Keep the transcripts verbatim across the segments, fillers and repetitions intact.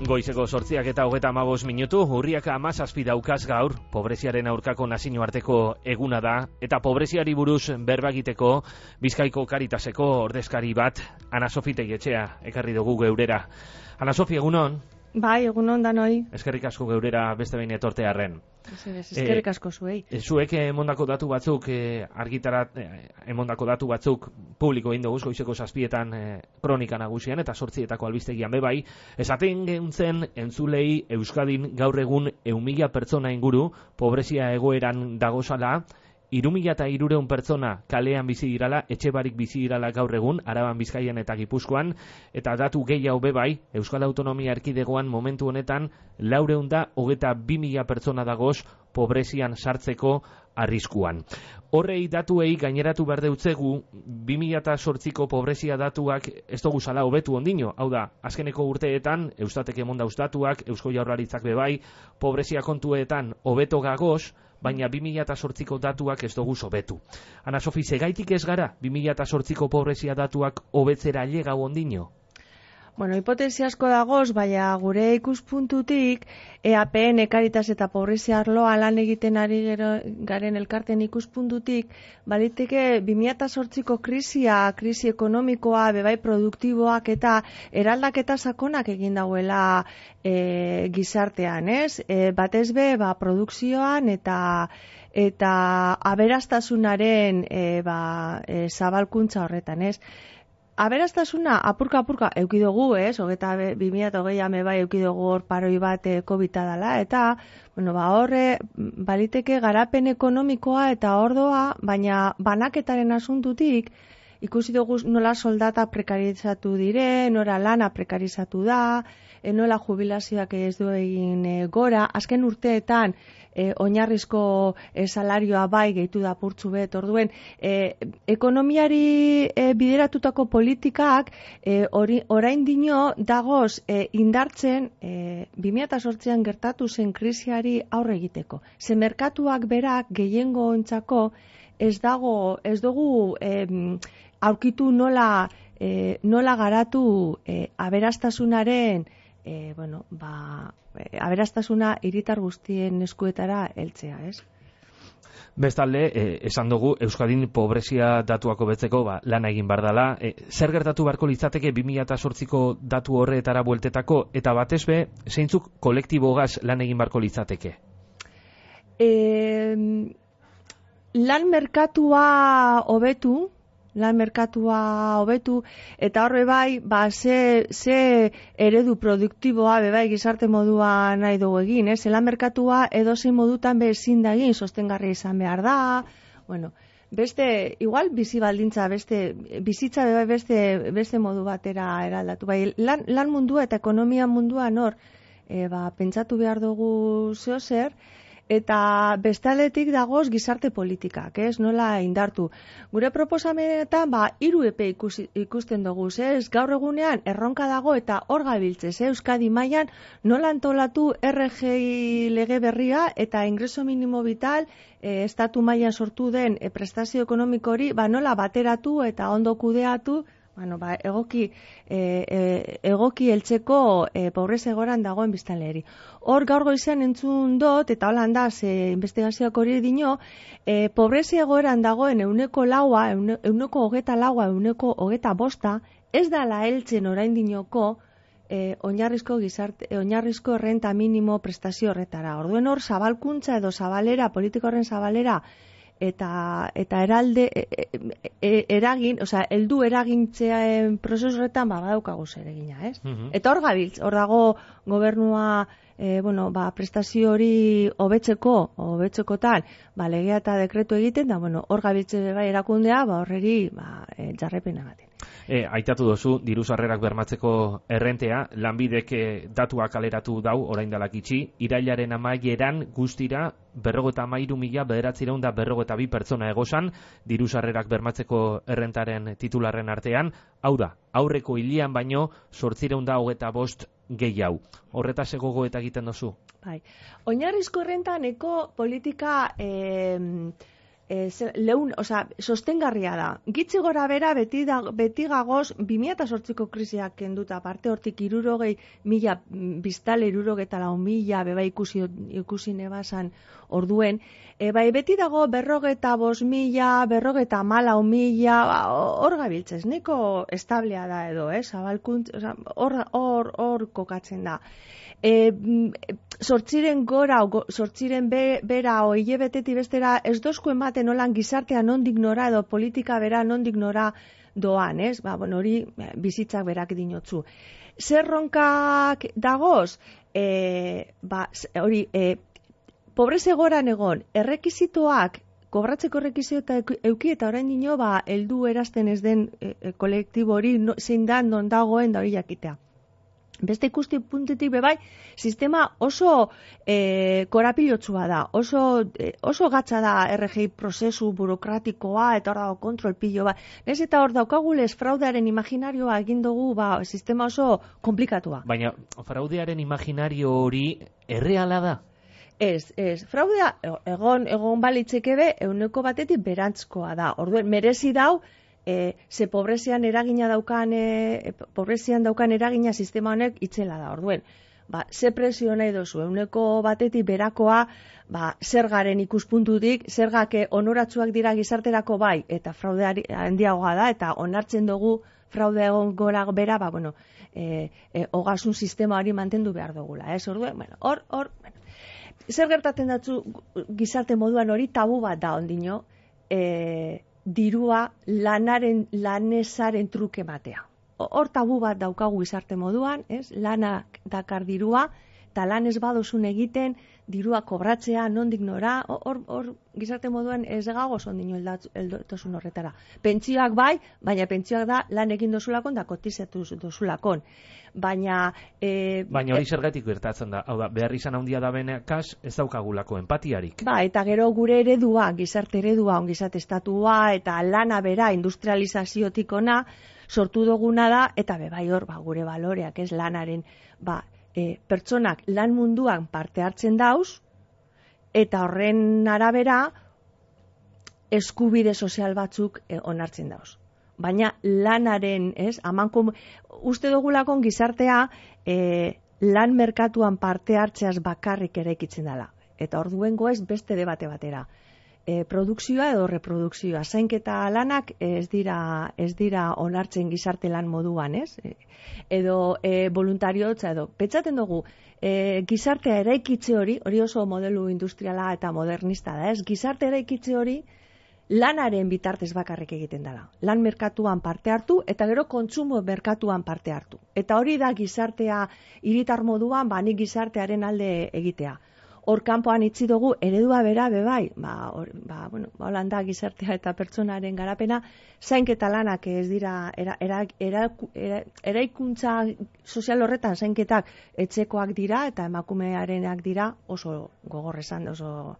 Goizeko sortziak eta hogeta amabos minutu, urriak amazazpi daukaz gaur, pobreziaren aurkako nazioarteko eguna da, eta pobreziari buruz berbagiteko Bizkaiko Karitaseko ordezkari bat, Ana Sofi Tegetxea, ekarri dugu geurera. Ana Sofi, egunon? Bai, egunon danoi. Eskerrik asko geurera beste behin etortearren. Eskerrik asko zuei. E, zuek emondako datu batzuk, e, argitarat, e, emondako datu batzuk publiko egin dugu goizeko zazpietan e, kronika nagusian eta sortzietako albistegian bebai, esaten geuntzen entzulei Euskadin gaur egun ehun mila pertsona inguru pobrezia egoeran dagozala, hiru mila hirurehun pertsona kalean bizi dirala, etxe barik bizi dirala gaur egun, Araban, Bizkaian eta Gipuzkoan, eta datu gehiago bebai, Euskal Autonomia Erkidegoan momentu honetan, laurehun da hogeta bi mila pertsona dagoz pobrezian sartzeko arriskuan. Horrei datuei gaineratu behar deutzegu, bi mila zortziko pobrezia datuak ez dugu zala hobetu ondino, hau da, azkeneko urteetan, Eustatek emonda datuak, Eusko Jaurlaritzak bebai, pobrezia kontuetan hobeto gagoz, baina bi mila zortziko datuak ez dugu hobetu. Ana Sofi, segaitik ez gara bi mila zortziko pobrezia datuak hobetzera ailegau ondino? Bueno, hipotesi asko dagoz, baina gure ikuspuntutik, E A P N, Karitas eta pobrezia arloa lan egiten ari gero, garen elkarten ikuspuntutik, baliteke bi mila zortziko krisia, krisi ekonomikoa, bebai produktiboak eta eraldaketa sakonak egin dauela e, gizartean, ez? E, batez be, ba, produkzioan eta eta aberastasunaren e, ba, e, zabalkuntza horretan, ez? Aberastasuna apurka-apurka eukidugu, ez? Hogeta bi mila hogei ame bai eukidugu hor paroi bat e, COVID-a dela, eta bueno, ba, horre baliteke garapen ekonomikoa eta ordoa, baina banaketaren asuntutik ikusi dugu nola soldata prekarizatu dire, nola lana prekarizatu da, e, nola jubilazioak ez du egin e, gora, azken urteetan e, oinarrizko e, salarioa bai gehitu da purtsu bet, orduen e, ekonomiari e, bideratutako politikak e, ori, orain dino dagoz e, indartzen e, bi mila zortzian gertatu zen krisiari aurre egiteko. Ze merkatuak berak gehiengo ontzako ez dago, ez dugu e, aurkitu nola, e, nola garatu e, aberastasunaren e, bueno, ba, e, aberastasuna hiritar guztien eskuetara heltzea, ez? Bestalde, eh, esan dugu, Euskadin pobrezia datuako betzeko ba, lana egin bar dela. Eh, zer gertatu beharko litzateke bi mila zortziko datu horretara bueltetako, eta batez be, zeintzuk kolektibogaz lan egin beharko litzateke? E, lan merkatua hobetu, lan merkatua hobetu, eta horre bai, ba, ze, ze eredu produktiboa, bebai, gizarte modua nahi dugu egin, ez? Lan merkatua edozein modutan be ezin da egin, sostengarri izan behar da, bueno, beste, igual bizi baldintza, beste, bizitza bebai beste, beste modu batera eraldatu, bai, lan, lan mundua eta ekonomia mundua nor, e, ba, pentsatu behar dugu zeo zer, eta bestaletik dagoz gizarte politikak, ez? Nola indartu. Gure proposamenetan, ba, hiru epe ikusi, ikusten dugu, ez? Gaur egunean erronka dago eta hor gabiltzez, eh? Euskadi mailan nola antolatu R G I lege berria eta ingreso minimo vital eh, estatu mailan sortu den eh, prestazio ekonomiko hori, ba, nola bateratu eta ondo kudeatu, bueno, ba, egoki, e, e, egoki heltzeko e, pobrezia egoeran dagoen biztanleri. Hor gaur goizean entzun dut, eta holan da, ze investigazioak hori dino, e, pobrezia egoeran dagoen euneko laua, eune, euneko hogeta laua, euneko hogeta bosta, ez dala heltzen orain dinoko e, oinarrizko gizarte, e, oinarrizko errenta minimo prestazio horretara. Orduen hor, zabalkuntza edo zabalera, politika horren zabalera, eta eta eralde e, e, e, eragin, osea, heldu eragintzeen prozesu horretan ba badaukagu zer egina, ez? Mm-hmm. Eta hor gabiltz, hor dago gobernua e, bueno, ba, prestazio hori hobetzeko, hobetzeko tal, ba, legea eta dekretu egiten, da, bueno, hor gabiltze bai erakundea, ba, horreri, ba, e, jarrepena gaten. E, aitatu dozu, diru sarrerak bermatzeko errentea, lanbidek datuak kaleratu dau, orain dalak itxi, irailaren amaieran guztira, berrogeta amairu mila bederatzireun da berrogeta bi pertsona egozan, diru sarrerak bermatzeko errentaren titularren artean, hau da, aurreko hilian baino, sortzireun da hogeta bost gehiago. Horretaz egogo eta egiten dozu? Bai. Oinarrizko errentan eko politika... Eh, E, leun, oza, sostengarria da. Gitzi gora bera beti, da, beti gagoz bi mila zortziko krisiak kenduta parte hortik irurogei mila biztale irurogeta lau mila beba ikusi, ikusi nebasan orduen. E, bai beti dago berrogeta bos mila, berrogeta malau mila, hor gabiltzez, niko establea da edo, eh? Zabalkuntz, hor, hor, hor kokatzen da. E, sortziren gora, sortziren be, bera o hilabeteti bestera ez dozku ematen nolan gizartea nondik nora edo politika bera nondik nora doan, ez? Ba, bueno, hori bizitzak berak dinotzu. Zer ronkak dagoz? E, ba, hori, e, pobreze goran egon, errekizitoak, kobratzeko errekizito euki eta orain dino, ba, heldu erazten ez den e, e, kolektibo hori no, zein da non dagoen da hori jakitea. Beste ikusti puntetik bebai, sistema oso e, korapilotsua da, oso, e, oso gatza da R G I prozesu burokratikoa eta hor dago kontrol pilo bat. Ez eta hor daukagulez fraudearen imaginarioa egin dugu ba, sistema oso komplikatua. Baina fraudearen imaginario hori erreala da? Ez, ez, fraudea egon, egon balitzeke be, euneko batetik berantzkoa da. Orduen, merezi dau, E, ze pobrezian eragina daukan, e, pobrezian daukan eragina sistema honek itzela da, orduen. Ba, ze presio nahi dozu, euneko batetik berakoa, ba, zergaren ikuspuntutik, zergak onoratsuak dira gizarterako bai, eta fraude handiagoa da, eta onartzen dugu fraude egon gora bera, ba, bueno, e, e, ogasun sistema hori mantendu behar dugula, ez, orduen, bueno, hor, hor, bueno. Zer gertatzen datzu gizarte moduan hori tabu bat da ondino, e, dirua lanaren, lanesaren truke batea. Hor tabu bat daukagu izarte moduan, ez? Lana dakar dirua, eta lan ez badozun egiten, dirua kobratzea, nondik nora, hor, hor gizarte moduan ez gagoz ondino eldotozun horretara. Pentsioak bai, baina pentsioak da lan egin dozulakon da kotizatu dozulakon. Baina... E, baina hori zergatik gertatzen da, hau da, behar izan handia da benekas ez daukagulako empatiarik. Ba, eta gero gure eredua, gizarte eredua, ongizate estatua, eta lana bera, industrializaziotik ona, sortu duguna da, eta bebai hor, ba, gure baloreak, ez lanaren, ba, e, pertsonak lan munduan parte hartzen dauz, eta horren arabera, eskubide sozial batzuk e, onartzen dauz. Baina lanaren, ez, amanko, uste dugulakon gizartea e, lan merkatuan parte hartzeaz bakarrik eraikitzen dela. Eta orduengo ez beste debate batera. E, produkzioa edo reprodukzioa, zainketa lanak ez dira, ez dira onartzen gizarte lan moduan, ez? E, edo e, voluntariotza edo, petzaten dugu, e, gizartea eraikitze hori, hori oso modelu industriala eta modernista da, ez? Gizarte eraikitze hori, lanaren bitartez bakarrik egiten dela. Lan merkatuan parte hartu eta gero kontsumo merkatuan parte hartu. Eta hori da gizartea hiritar moduan, ba nik gizartearen alde egitea. Hor kanpoan itzi dugu eredua bera bebai, ba, or, ba bueno, ba holanda gizartea eta pertsonaren garapena, zainketa lanak ez dira era, era, era, era, eraikuntza sozial horretan zainketak etxekoak dira eta emakumearenak dira oso gogorrezan, oso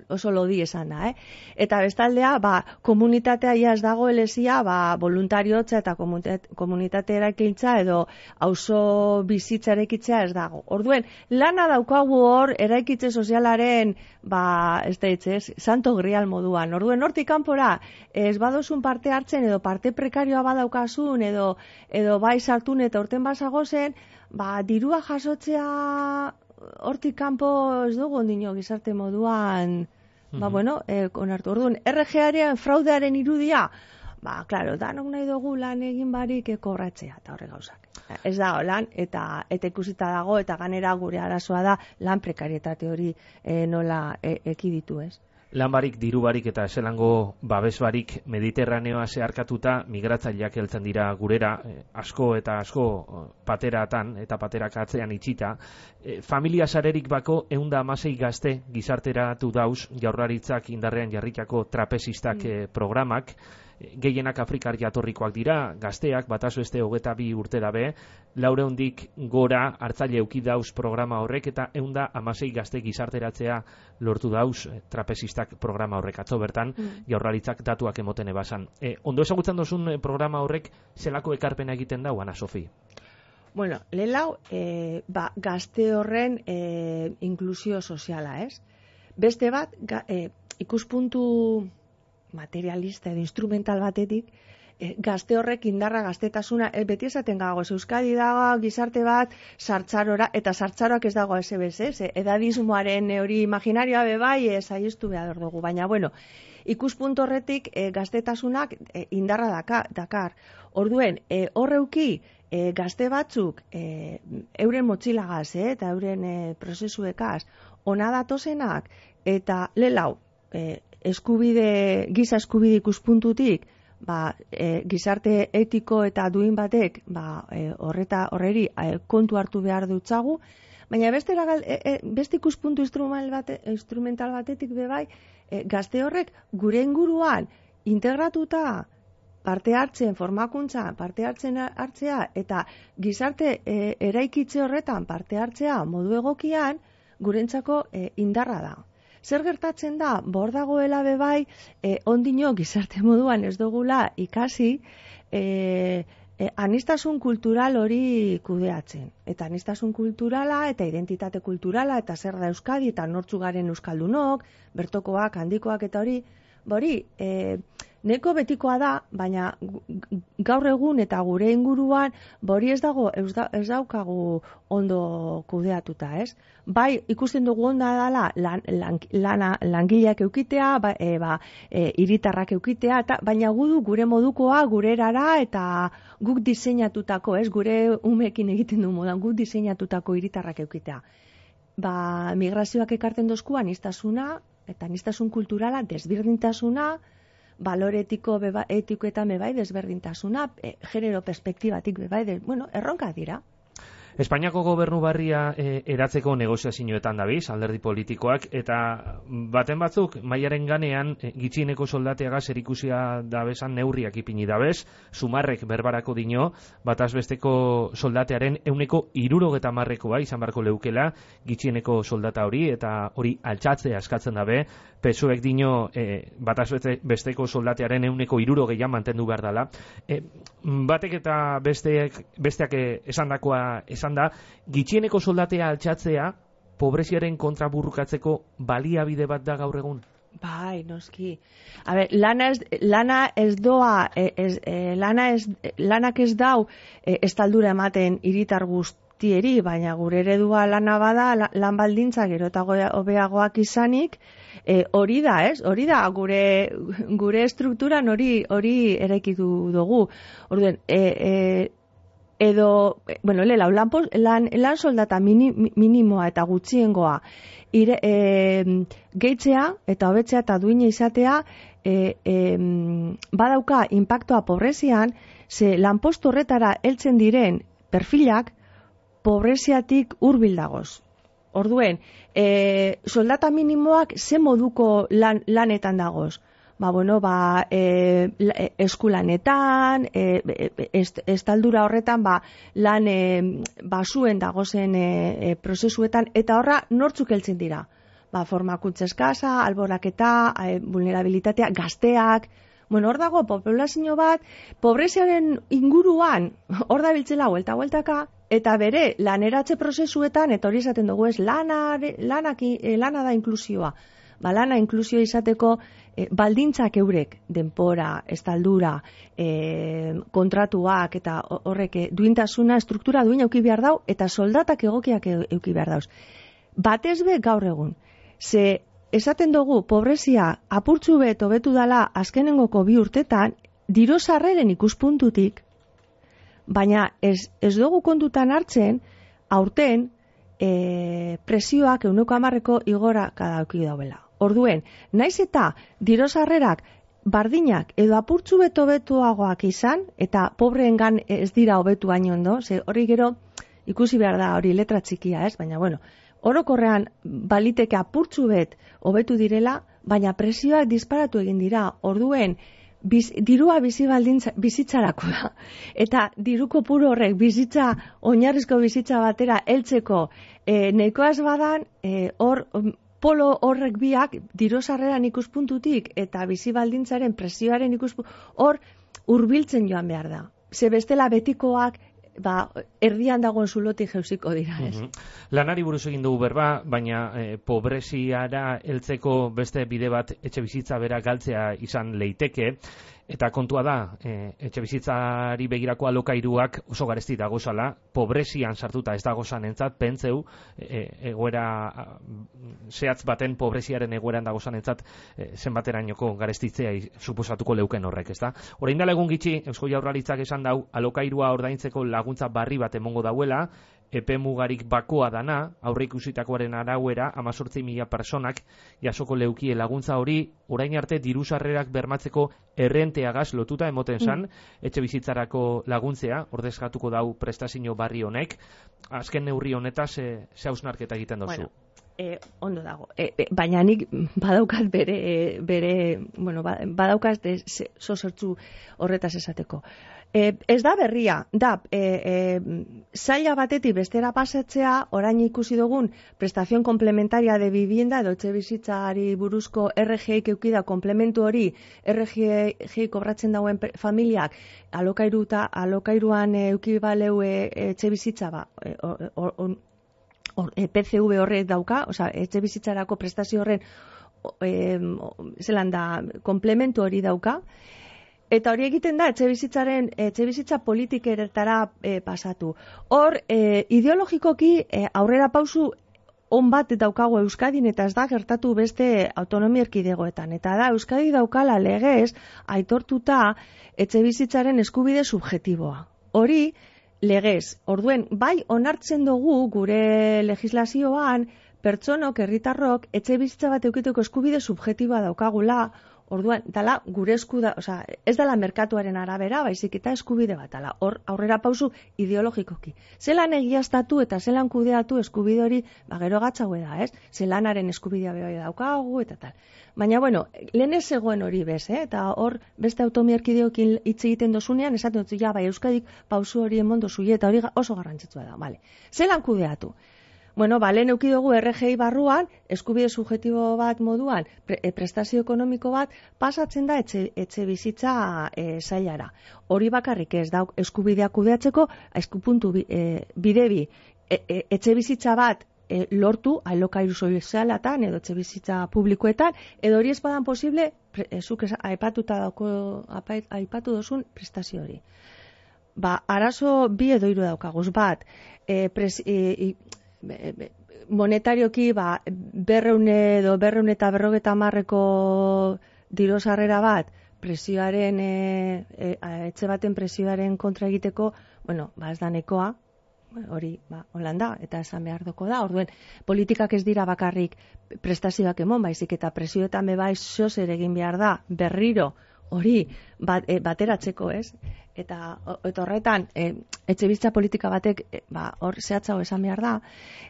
oso lodi esan da, eh? Eta bestaldea, ba, komunitatea ja ez dago elesia, ba, voluntariotza eta komunitate eraikintza edo auzo bizitza eraikitzea ez dago. Orduen, lana daukagu hor eraikitze sozialaren, ba, ez da hitzez, santo grial moduan. Orduen, hortik kanpora, ez badozun parte hartzen edo parte prekarioa badaukasun edo edo bai sartun eta urten basagozen, ba, dirua jasotzea hortik kanpo ez dugu ondino gizarte moduan, mm-hmm. ba bueno, eh, onartu. Orduan, R G Aren fraudearen irudia, ba, klaro, danok nahi dugu lan egin barik kobratzea, eta horre gauzak. Ez da lan, eta eta ikusita dago, eta ganera gure arazoa da lan prekarietate hori eh, nola e, ekiditu, ez? Lan barik, diru barik eta eselango babes barik Mediterraneoa zeharkatuta migratzaileak heltzen dira gurera, eh, asko eta asko pateratan eta paterak atzean itxita. Eh, familia sarerik bako ehunda hamasei gazte gizarteratu dauz Jaurlaritzak indarrean jarritako trapezistak mm. eh, programak. Gehienak Afrikar jatorrikoak dira, gazteak, batazo este hogeta bi urte dabe, laureundik gora hartzaile euki dauz programa horrek, eta eunda amasei gazte gizarteratzea lortu dauz trapezistak programa horrek. Atzo bertan, mm. Jaurlaritzak datuak emoten ebasan. E, ondo ezagutzen dozun programa horrek, zelako ekarpena egiten dau, Ana Sofi? Bueno, lehelau, e, ba, gazte horren e, inklusio soziala, ez? Beste bat, ga, e, ikuspuntu materialista edo instrumental batetik, e, gazte horrek indarra gaztetasuna, e, beti esaten gago, Euskadi dago gizarte bat sartzarora, eta sartzaroak ez dago ez ebez, ez, edadismoaren hori imaginarioa bebai, ez aiztu behar dugu, baina bueno, ikuspuntu horretik e, gaztetasunak e, indarra daka, dakar. Orduen, e, horreuki e, gazte batzuk e, euren motxilagaz, e, eta euren e, prozesuekaz, ona datozenak, eta lelau, e, eskubide, giza eskubide ikuspuntutik, ba, e, gizarte etiko eta duin batek, ba, e, horreta horreri e, kontu hartu behar dutzagu, baina beste, e, e, beste ikuspuntu instrumental, bate, instrumental batetik bebai, e, gazte horrek gure inguruan integratuta parte hartzen, formakuntza, parte hartzen hartzea, eta gizarte e, eraikitze horretan parte hartzea modu egokian, gurentzako e, indarra da. Zer gertatzen da, bor dagoela bebai, eh, ondino gizarte moduan ez dugula ikasi, eh, eh, anistasun kultural hori kudeatzen. Eta anistasun kulturala, eta identitate kulturala, eta zer da Euskadi, eta nortzu garen euskaldunok, bertokoak, handikoak, eta hori, hori, eh, neko betikoa da, baina gaur egun eta gure inguruan, bori ez dago, ez, da, ez daukagu ondo kudeatuta, ez? Bai, ikusten dugu onda dela lan, lan, lana, langileak eukitea, ba, e, ba, e, hiritarrak eukitea, eta, baina gudu gure modukoa, gure erara, eta guk diseinatutako, ez? Gure umekin egiten du modan, guk diseinatutako hiritarrak eukitea. Ba, migrazioak ekarten dozku anistasuna, eta anistasun kulturala, desberdintasuna, balore etiko, beba, etikoetan bebai desberdintasuna, e, genero perspektibatik bebai, de, bueno, erronka dira. Espainiako gobernu barria e, eratzeko negoziazioetan dabiz, alderdi politikoak, eta baten batzuk, mailaren ganean, e, gitxieneko soldateaga zerikusia dabesan neurriak ipini dabez, sumarrek berbarako dino, batazbesteko soldatearen euneko irurogeta marrekoa izan barko leukela, gitxieneko soldata hori, eta hori altxatzea eskatzen dabe, pesoek dino e, batazbesteko soldatearen euneko irurogeian mantendu behar dela. E, batek eta besteak, besteak esandakoa esan da, gitxieneko soldatea altxatzea pobreziaren kontra burrukatzeko baliabide bat da gaur egun? Bai, noski. A ber, lana ez, lana ez doa, ez, ez, lana ez, lanak ez dau estaldura ematen hiritar guztieri, baina gure eredua lana bada, lan baldintza gero eta hobeagoak izanik, e, hori da, ez? Hori da, gure, gure estrukturan hori hori eraikitu dugu. Orduen, e, e, edo, bueno, lela, lan, lan, lan soldata mini, minimoa eta gutxiengoa ire, e, gehitzea eta hobetzea eta duina izatea e, e, badauka inpaktoa pobrezian, ze lanpostu horretara heltzen diren perfilak pobreziatik hurbil dagoz. Orduen, e, soldata minimoak ze moduko lan, lanetan dagoz? Ba, bueno, ba, e, eskulanetan, e, est, estaldura horretan, ba, lan e, basuen dagozen e, e, prozesuetan, eta horra nortzuk heltzen dira. Ba, formakuntza eskasa, alboraketa, e, vulnerabilitatea, gazteak, bueno, hor dago populazio bat, pobreziaren inguruan, hor da biltzela huelta-hueltaka, eta bere laneratze prozesuetan, eta hori izaten dugu ez, lana, lanak, lana da inklusioa. Ba, lana inklusio izateko e, baldintzak eurek, denpora, estaldura, e, kontratuak eta horrek duintasuna, struktura duin euki behar dau, eta soldatak egokiak euki behar dauz. Batez be gaur egun, ze esaten dugu pobrezia apurtzu bet hobetu dala azkenengoko bi urtetan, diru sarreren ikuspuntutik, baina ez, ez dugu kontutan hartzen, aurten, e, presioak ehuneko hamarreko igora kadauki dauela. Orduen, naiz eta diru sarrerak bardinak edo apurtzu beto betuagoak izan, eta pobreengan ez dira hobetu hain ondo, ze hori gero ikusi behar da hori letra txikia, ez? Baina, bueno, orokorrean baliteke apurtzu bet hobetu direla, baina presioak disparatu egin dira. Orduen, biz, dirua bizi baldintza, bizitzarako da. Eta diru kopuru horrek bizitza, oinarrizko bizitza batera heltzeko e, nahikoaz badan, e, hor... polo horrek biak diru sarreran ikuspuntutik eta bizi baldintzaren presioaren ikuspuntutik hor hurbiltzen joan behar da. Ze bestela betikoak ba, erdian dagoen zulotik jeuziko dira, ez? Mm-hmm. Lanari buruz egin dugu berba, baina eh, pobreziara heltzeko beste bide bat etxe bizitza bera galtzea izan leiteke, eta kontua da, e, etxe bizitzari begirako alokairuak oso garesti dagozala, pobrezian sartuta ez dagozan entzat, pentseu, e, egoera, zehatz baten pobreziaren egoeran dagozan entzat, e, zenbaterainoko garestitzea suposatuko leuken horrek, ezta? Orain dela egun gitxi, Eusko Jaurlaritzak esan dau, alokairua ordaintzeko laguntza barri bat emongo dauela, epe mugarik bakoa dana, aurre ikusitakoaren arauera, amazortzi mila personak jasoko leukie laguntza hori, orain arte diru sarrerak bermatzeko errenteagaz lotuta emoten zan, mm. etxe bizitzarako laguntzea, ordezkatuko dau prestazio barri honek, azken neurri honetaz, e, ze hausnarketa egiten dozu? Bueno. E, ondo dago, e, e, baina nik badaukat bere, bere bueno, badaukat zozertzu horretaz esateko. E, ez da berria, da, e, e, zaila batetik bestera pasatzea, orain ikusi dugun prestazion komplementaria de vivienda edo etxe bizitzari buruzko R G I eukida komplementu hori R G I kobratzen dauen familiak alokairuta, alokairuan eukibaleu e, etxe bizitza ba, e, or, or, or, Or, e, P C V horrek dauka, osea, etxe bizitzarako prestazio horren e, zelan da, komplementu hori dauka, eta hori egiten da etxe bizitzaren, etxe bizitza politikeretara e, pasatu. Hor, e, ideologikoki e, aurrera pausu on bat daukago Euskadin, eta ez da gertatu beste autonomia erkidegoetan. Eta da, Euskadi daukala legez aitortuta etxe bizitzaren eskubide subjetiboa. Hori, legez, orduen, bai onartzen dugu gure legislazioan pertsonok, herritarrok, etxe bizitza bat eukiteko eskubide subjetiboa daukagula, orduan, dala gure eskuda, osea, ez dela merkatuaren arabera, baizik eta eskubide bat, dala, hor aurrera pausu ideologikoki. Zelan egiaztatu eta zelan kudeatu eskubide hori, ba, gero gatzaue da, ez? Zelanaren eskubidea behar daukagu, eta tal. Baina, bueno, lehen ez zegoen hori bez, eh? Eta hor, beste automiarkideokin hitz egiten dozunean, esaten dut, ja, bai, Euskadik pausu hori emon dozu, eta hori oso garrantzitsua da, bale. Zelan kudeatu? Bueno, ba, lehen eukidugu R G I barruan, eskubide subjetibo bat moduan, pre, e, prestazio ekonomiko bat, pasatzen da etxe, etxe bizitza e, zailara. Hori bakarrik ez da eskubideak kudeatzeko, eskupuntu bi, e, bide bi, e, e, etxe bizitza bat, E, lortu alokairu sozialatan edo etxe bizitza publikoetan, edo hori ez badan posible, pre, e, zuk aipatuta dauko, aipatu dozun prestazio hori. Ba, arazo bi edo hiru daukaguz bat, e, pres, e, e, monetarioki ba, berreun edo berreun eta berrogeta marreko diru sarrera bat, presioaren, e, e, etxe baten presioaren kontra egiteko, bueno, ba ez da nekoa, hori, ba, Holanda, eta esan behar doko da, orduen, politikak ez dira bakarrik prestazioak emon, baizik eta presioetan bebai zozer egin behar da, berriro, hori, bat, e, bateratzeko, ez? Eta, eta horretan, e, etxe bizitza politika batek, e, ba, hor zehatzago esan behar da,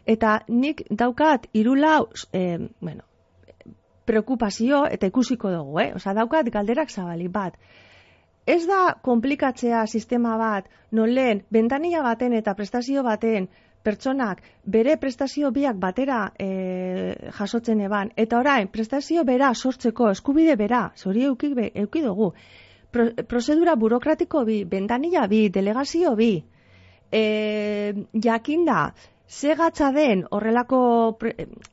eta nik daukat irulau, e, bueno, preokupazio, eta ikusiko dugu, eh? Osa, daukat galderak zabalik bat, ez da komplikatzea sistema bat, non lehen, bentanilla baten eta prestazio baten pertsonak bere prestazio biak batera e, jasotzen eban, eta orain, prestazio bera sortzeko eskubide bera, zori eukik be, eukidugu, Pro, prozedura burokratiko bi, bentanilla bi, delegazio bi, e, jakinda, ze gatza den horrelako,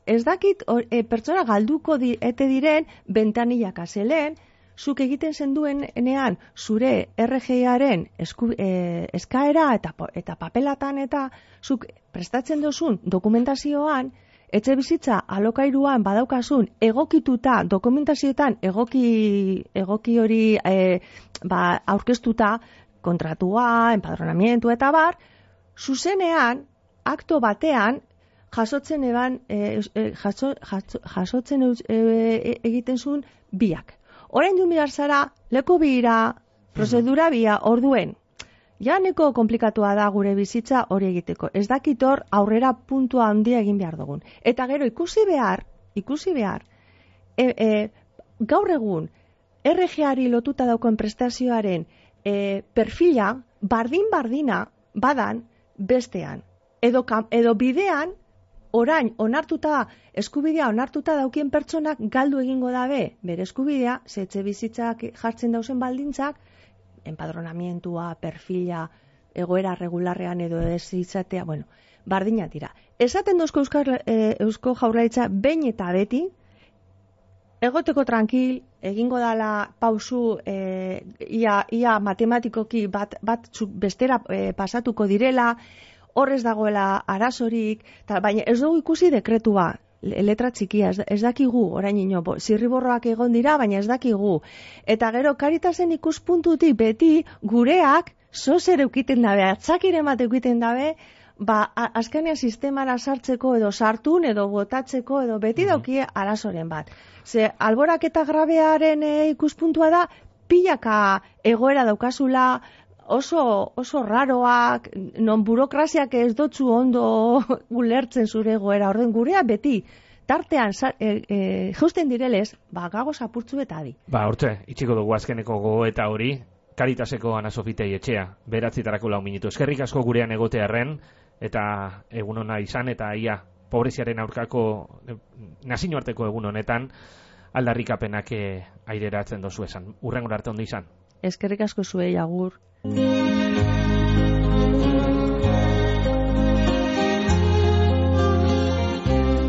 ez dakit or, e, pertsona galduko di, ete diren bentanillak azelen, zuk egiten zenduen enean zure R G I-aren e, eskaera eta, eta papelatan eta zuk prestatzen dozun dokumentazioan, etxe bizitza alokairuan badaukasun egokituta dokumentazioetan egoki, egoki hori e, ba, aurkeztuta kontratua, empadronamientu eta bar, zuzenean, akto batean, jasotzen eban, e, e, jaso, jaso, jasotzen e, egiten zuen biak. Orain du mirar zara, leku bira, prozedura bia, orduen. Ja neko komplikatua da gure bizitza hori egiteko. Ez dakit hor aurrera puntua handia egin behar dugun. Eta gero ikusi behar, ikusi behar, e, e, gaur egun, R G I-ari lotuta daukoen prestazioaren e, perfila, bardin-bardina badan bestean. Edo, edo bidean, orain, onartuta, eskubidea onartuta daukien pertsonak galdu egingo dabe, bere eskubidea, zetxe bizitzak jartzen dauzen baldintzak, empadronamientua, perfila, egoera regularrean edo ez izatea, bueno, bardina dira. Esaten dozko Euskal, e, Eusko Jaurlaritza behin eta beti, egoteko tranquil, egingo dala pausu e, ia, ia matematikoki bat, bat bestera e, pasatuko direla, horrez dagoela arazorik, ta, baina ez dugu ikusi dekretua, letra txikia, ez, ez dakigu, orain ino, zirriborroak egon dira, baina ez dakigu. Eta gero, Karitasen ikuspuntutik beti gureak zozer eukiten dabe, atzakire bat eukiten dabe, ba, azkenean sistemara sartzeko edo sartun edo botatzeko edo beti daukie arazoren bat. Ze, alborak eta grabearen e, ikuspuntua da, pilaka egoera daukazula, oso, oso raroak, non burokraziak ez dotzu ondo ulertzen zure egoera, orden gurea beti, tartean e, e, justen direlez, ba, gago zapurtzu eta adi. Ba, hortze, itxiko dugu azkeneko gogoeta hori, Karitaseko Ana Sofitei etxea, beratzitarako lau minutu. Eskerrik asko gurean egotearren, eta egun hona izan, eta ia, pobreziaren aurkako nazioarteko egun honetan, aldarrikapenak aireratzen dozu esan. Urrengor arte ondo izan. Eskerrik asko zuei, agur.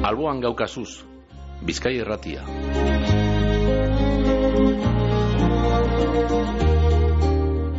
Alboan gaukazuz, Bizkai Irratia.